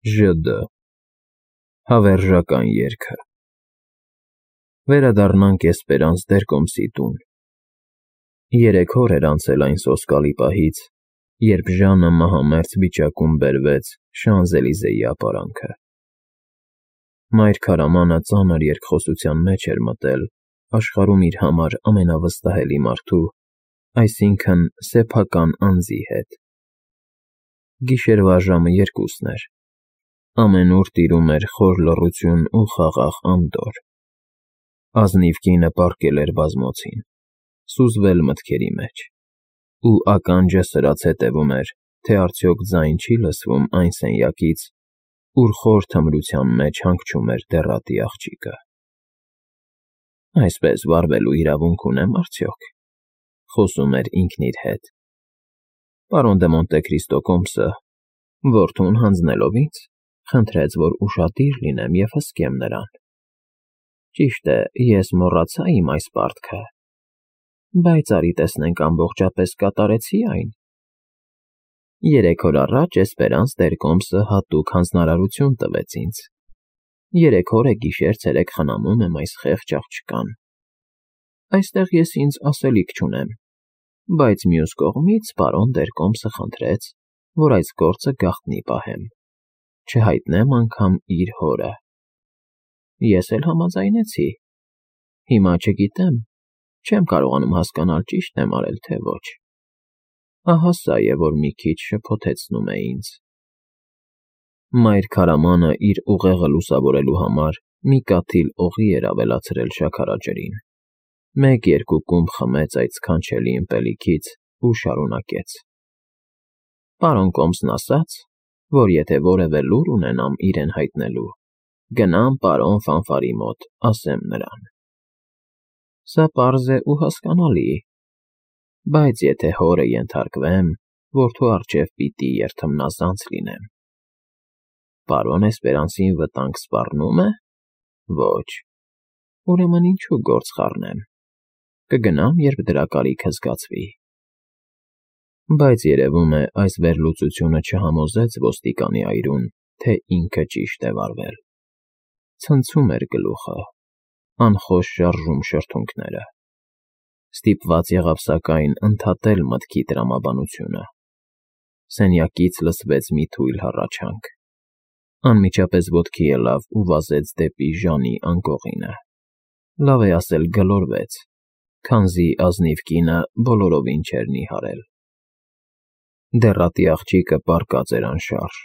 ԺԴ Հավերժական երգը Վերադառնանք էսպերանս Դերկոմսի տուն։ 3 օր էր անցել այն սոսկալի պահից, երբ Ժանը մահամերձ վիճակում բերվեց Շանզելիզեի ապարանքը։ Մայր քարամանը ծանր երկխոսության մեջ էր մտել աշխարհում իր համար ամենավստահելի մարդու, այսինքն սեփական անձի հետ։ Գիշերվա ժամը 2-ն էր։ Ամենուր տիրում էր խոր լռություն ու խաղաղ անդորր։ Ազնիվ կինը պառկել էր բազմոցին, սուզվել մտքերի մեջ, ու ականջը սրած հետևում էր, թե արդյոք ձայն չի լսվում այն սենյակից, ուր խոր թմրության մեջ հանգչում էր դեռատի աղջիկը։ Այսպես վարվելու իրավունք ունեմ արդյոք, խոսում էր ինքն իր հետ։ Պարոն դե Մոնտե Քրիստո կոմսը, որդուն հանձնելով ինձ, խնդրեց, որ ուշադիր լինեմ և հսկեմ նրան։ Ճիշտ է, ես մոռացա իմ այս պարտքը, բայց արի տեսնենք ամբողջապես կատարեցի այն։ 3 օր առաջ էսպերանս Դերկոմսը հատուկ հանձնարարություն տվեց ինձ։ 3 օր է գիշեր-ցերեկ խնամում եմ այս խեղճ աղջկան։ Այստեղ ես ինձ ասելիք չունեմ, բայց մյուս կողմից պարոն Դերկոմսը խնդրեց, որ այս գործը գաղտնի պահեմ, չհայտնեմ անգամ իր հորը։ Ես էլ համաձայնեցի։ Հիմա չգիտեմ, չեմ կարողանում հասկանալ ճիշտ եմ արել, թե ոչ։ Ահա սա է, որ մի քիչ շփոթեցնում է ինձ։ Մայր քարամանը իր ուղեղը լուսավորելու համար մի կաթիլ օղի էր ավելացրել շաքարաջրին։ 1-2 կումբ խմեց այդ սքանչելի ըմպելիքից ու շարունակեց. Պարոն կոմսն ասաց, որ եթե որևէ լուր ունենամ իրեն հայտնելու, գնամ պարոն Ֆանֆարի մոտ, ասեմ նրան։ Սա պարզ է ու հասկանալի, բայց եթե հորը ենթարկվեմ, որդու առջև պիտի երդմնազանց լինեմ։ Պարոն Էսպերանսին վտանգ սպառնո՞ւմ է։ Ոչ։ Ուրեմն ինչու գործ խառնեմ։ Կգնամ, երբ դրա կարիքը զգացվի։ Բայց երևում է, այս վերլուծությունը չհամոզեց ոստիկանի այրուն, թե ինքը ճիշտ է վարվել։ Ցնցում էր գլուխը, անխոժ շարժում շրթունքները։ Ստիպված եղավ սակայն ընդհատել մտքի տրամաբանությունը։ Սենյակից լսվեց մի թույլ հառաչանք։ Անմիջապես ոտքի ելավ ու վազեց դեպի Ժանի անկողինը։ Լավ է ասել գլորվեց, քանզի ազնիվ կինը բոլորովին չէր նիհարել։ Դեռատի աղջիկը պառկած էր անշարժ։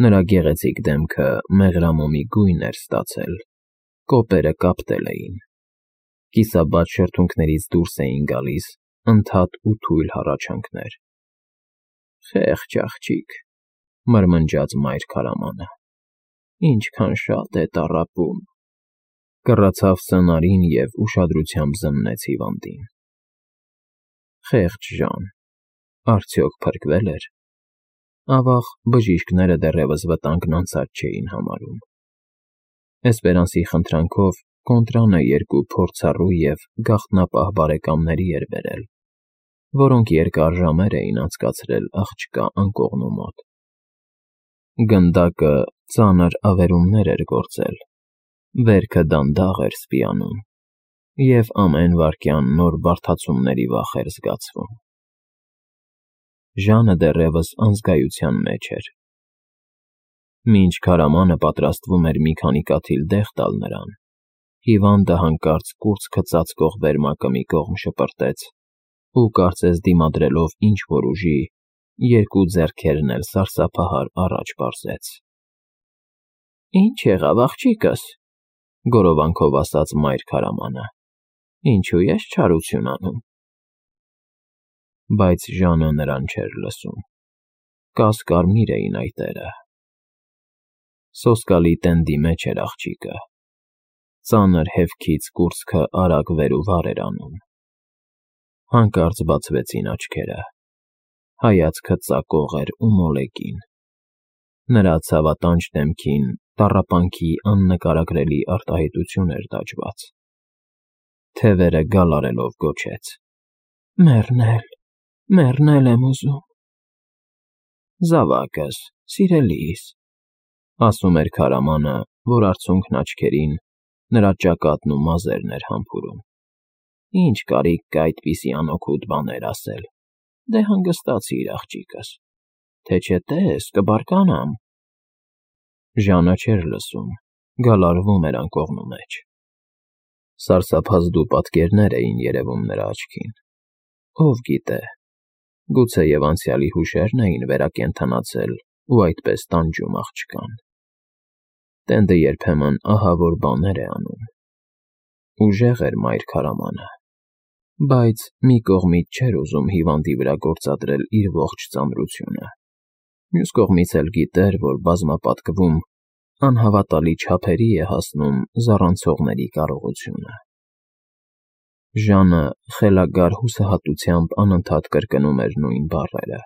Նրա գեղեցիկ դեմքը մեղրամոմի գույն էր ստացել, կոպերը կապտել էին։ Կիսաբաց շրթունքներից դուրս էին գալիս ընդհատ ու թույլ հառաչանքներ։ Խեղճ աղջիկ, մրմնջաց մայր քարամանը։ Ինչքան շատ է տառապում։ Կռացավ սնարին և ուշադրությամբ զննեց հիվանդին։ Խեղճ Ժան, արդյոք փրկվել էր։ Ավաղ, բժիշկները դեռևս վտանգն անցած չէին համարում։ Էսպերանսի խնդրանքով կոնտրանը 2 փորձառու և գաղտնապահ բարեկամների էր բերել, որոնք երկար ժամեր էին անցկացրել աղջկա անկողնու մոտ։ Գնդակը ծանր ավերումներ էր գործել, վերքը դանդաղ էր սպիանում, և ամեն վայրկյան նոր բարդացումների վախ էր զգացվում։ Ժանը դեռևս անզգայության մեջ էր։ Մինչ քարամանը պատրաստվում էր մի քանի կաթիլ դեղ տալ նրան, հիվանդը հանկարծ կուրծքը ծածկող վերմակը մի կողմ շպրտեց ու, կարծես դիմադրելով ինչ-որ ուժի, 2 ձեռքերն էլ սարսափահար առաջ պարզեց։ Ինչ եղավ, աղջիկս, գորովանքով ասաց մայր քարամանը, ինչու ես չարություն անում։ Բայց Ժանը նրան չէր լսում։ Կաս-կարմիր էին այտերը։ Սոսկալի տենդի մեջ էր աղջիկը։ Ծանր հեվքից կուրծքը արագ վեր ու վար էր անում։ Հանկարծ բացվեցին աչքերը։ Հայացքը ծակող էր ու մոլեգին։ Նրա ցավատանջ դեմքին տառապանքի աննկարագրելի արտահայտություն էր տաճված։ Թևերը գալ արելով գոչեց. Մեռնել եմ ուզում։ Զավակս, սիրելիս, Ասում էր քարամանը, որ արցունքն աչքերին նրա ճակատն ու մազերն էր համբուրում։ Ինչ կարիք կա այդպիսի անօգուտ բաներ ասել, դե հանգստացիր աղջիկս, թե չէ տես կբարկանամ։ Ժանը չէր լսում, գալարվում էր անկողնու մեջ։ Սարսափազդու պատկերներ էին երևում նրա աչքին։ Ով գիտե, գուցեև անցյալի հուշերն էին վերակենդանացել ու այդպես տանջում աղջկան։ Տենդը երբեմն ահավոր բաներ է անում։ Ուժեղ էր մայր քարամանը, բայց մի կողմից չէր ուզում հիվանդի վրա գործադրել իր ողջ ծանրությունը։ Մյուս կողմից էլ գիտեր, որ բազմապատկվում անհավատալի չափերի է հասնում զառանցողների կարողությունը։ Ժանը խելագար հուսահատությամբ անընդհատ կրկնում էր նույն բառերը.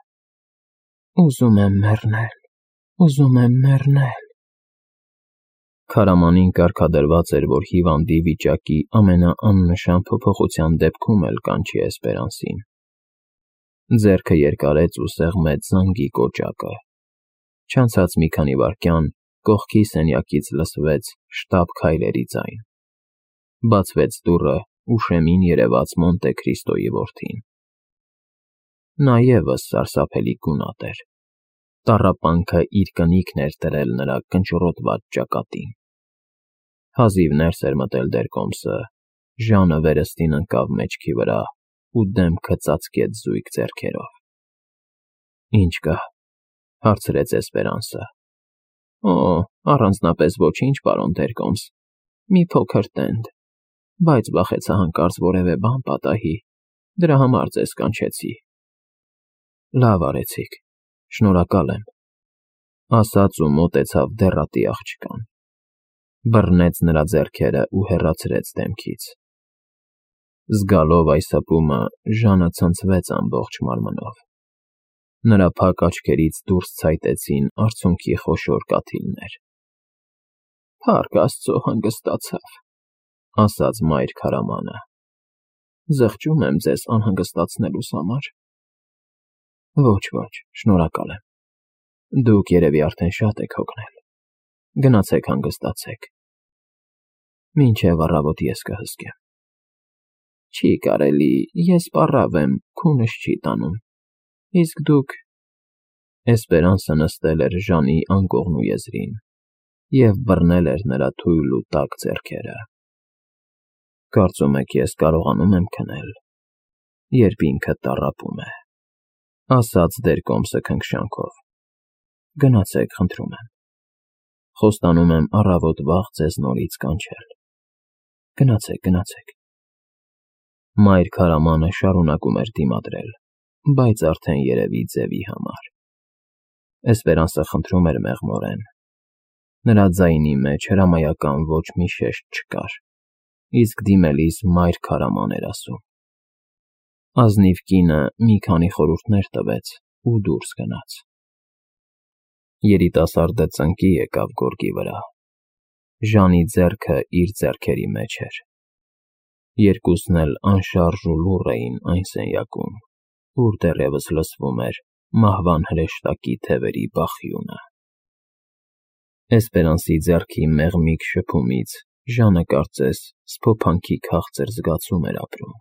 «Ուզում եմ մեռնել, ուզում եմ մեռնել»։ Քարամանին կարգադրված էր, որ հիվանդի վիճակի ամենաաննշան փոփոխության դեպքում էլ կանչի Էսպերանսին։ Ձեռքը երկարեց ու սեղմեց զանգի կոճակը։ Չանցած մի քանի վայրկյան կողքի սենյակից լսվեց շտապ քայլերի ձայն։ Բացվեց դուռը ու շեմին երևաց Մոնտե Քրիստոյի որդին։ Նա ևս սարսափելի գունատ էր։ Տառապանքը իր կնիքն էր դրել նրա կնճռոտված ճակատին։ Հազիվ ներս էր մտել դերկոմսը, Ժանը վերստին ընկավ մեջքի վրա ու դեմքը ծածկեց զույգ ձեռքերով։ «Ինչ կա», հարցրեց Էսպերանսը։ «Օ, առանձնապես ոչինչ, պարոն դերկոմս, մի փոքր տենդ, բայց վախեցա հանկարծ որևէ բան պատահի, դրա համար ձեզ կանչեցի»։ «Լավ արեցիք, շնորհակալ եմ», ասաց ու մոտեցավ դեռատի աղջկան։ Բռնեց նրա ձեռքերը ու հեռացրեց դեմքից։ Զգալով այս հպումը, Ժանը ցնցվեց ամբողջ մարմնով։ Նրա փակ աչքերից դուրս ցայտեցին արցունքի խոշոր կաթիլներ։ «Փառք Աստծո, հանգստացավ», ասաց մայր քարամանը։ «Զղջում եմ ձեզ անհանգստացնելուս համար»։ «Ոչ, շնորհակալ եմ։ Դուք երևի արդեն շատ եք հոգնել։ Գնացեք հանգստացեք։ Մինչև առավոտ ես կհսկեմ»։ «Չի կարելի, ես պառավ եմ, քունս չի տանում, իսկ դուք»։ Էսպերանսը նստել էր Ժանի անկողնու եզրին և բռնել էր նրա թույլ ու տաք ձեռքերը։ «Կարծում եք ես կարողանում եմ քնել, երբ ինքը տառապում է», ասաց դերկոմսը քնքշանքով։ «Գնացեք, խնդրում եմ։ Խոստանում եմ առավոտ վաղ ձեզ նորից կանչել։ Գնացեք»։ Մայր քարամանը շարունակում էր դիմադրել, բայց արդեն երևի ձևի համար։ Էսպերանսը խնդրում էր մեղմորեն։ Նրա ձայնի մեջ հրամայական ոչ մի շեշտ չկար, իսկ դիմելիս մայր քարաման էր ասում։ Ազնիվ կինը մի քանի խորհուրդներ տվեց ու դուրս գնաց։ Երիտասարդը ծնկի եկավ գորգի վրա։ Ժանի ձեռքը իր ձեռքերի մեջ էր։ Երկուսն էլ անշարժ ու լուռ էին այն սենյակում, ուր դեռևս լսվում էր մահվան հրեշտակի թևերի բախյունը։ Էսպերանսի ձեռքի մեղմիկ շփումից Ժանը կարծես սփոփանքի քաղցր զգացում էր ապրում։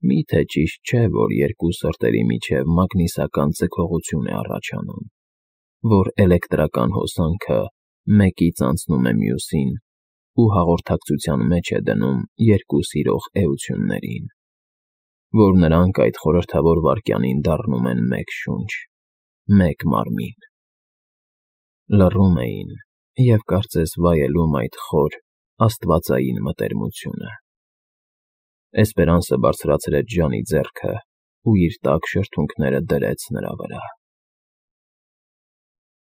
Միթե ճիշտ չէ, որ երկու սրտերի միջև մագնիսական ձգողություն է առաջանում, որ էլեկտրական հոսանքը մեկից անցնում է մյուսին ու հաղորդակցության մեջ է դնում երկու սիրող էություններին, որ նրանք այդ խորհրդավոր վայրկյանին դառնում են մեկ շունչ, մեկ մարմին։ Լռում էին և կարծես վայելում այդ խոր, աստվածային մտերմությունը։ Էսպերանսը բարձրացրեց Ժանի ձեռքը ու իր տաք շրթունքները դրեց նրա վրա։